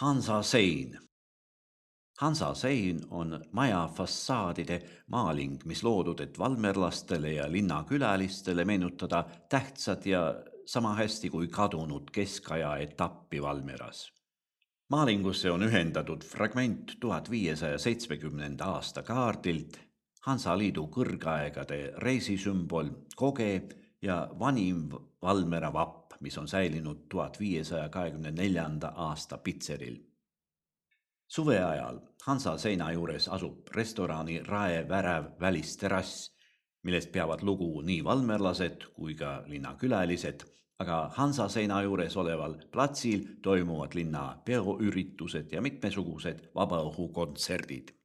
Hansa sein. Hansa sein on maja fassaadide maaling, mis loodud, et valmerlastele ja linnakülalistele meenutada tähtsad ja sama hästi kui kadunud keskaja etappi Valmeras. Maalingusse on ühendatud fragment 1570. aasta kaardilt, Hansaliidu kõrgaegade reisisümbol Koge ja vanim Valmera vapp, mis on säilinud 1524. aasta pitseril. Suve ajal Hansa seina juures asub restorani Rae värav välisterass, millest peavad lugu nii valmerlased kui ka linnakülalised, aga Hansa seina juures oleval platsil toimuvad linna peoüritused ja mitmesugused vabaõhukontserdid.